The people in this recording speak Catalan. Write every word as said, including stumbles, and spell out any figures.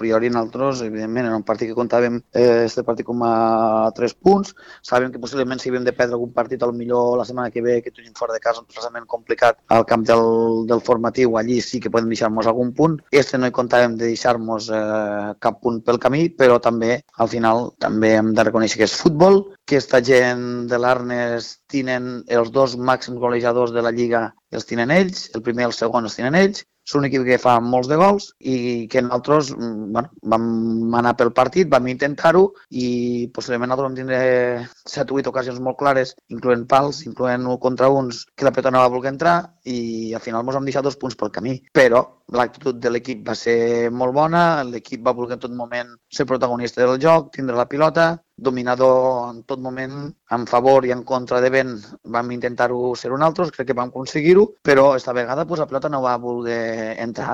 priori nosaltres, evidentment, era un partit que comptàvem eh, este partit com a tres punts, sabem que possiblement si havíem de perdre algun partit, millor la setmana que ve, que tenim fora de casa un desplaçament complicat al camp del, del formatiu, allí sí que podem deixar-nos algun punt. Este no hi comptàvem de deixar-nos eh, cap punt pel camí, però també, al final, també hem de reconèixer que és futbol, que aquesta gent de l'Arnes tenen els dos màxims golejadors de la Lliga, els tenen ells, el primer i el segon els tenen ells, és un equip que fa molts de gols i que nosaltres bueno, vam anar pel partit, vam intentar-ho i possiblement nosaltres vam tindre set o vuit ocasions molt clares, incloent pals, incloent un contra uns, que la pelota no va voler entrar i al final ens vam deixar dos punts pel camí. Però l'actitud de l'equip va ser molt bona, l'equip va voler en tot moment ser protagonista del joc, tindre la pilota, dominador en tot moment, en favor i en contra de vent vam intentar-ho ser un altre, crec que vam aconseguir-ho, però esta vegada pues, la pelota no va voler entrar.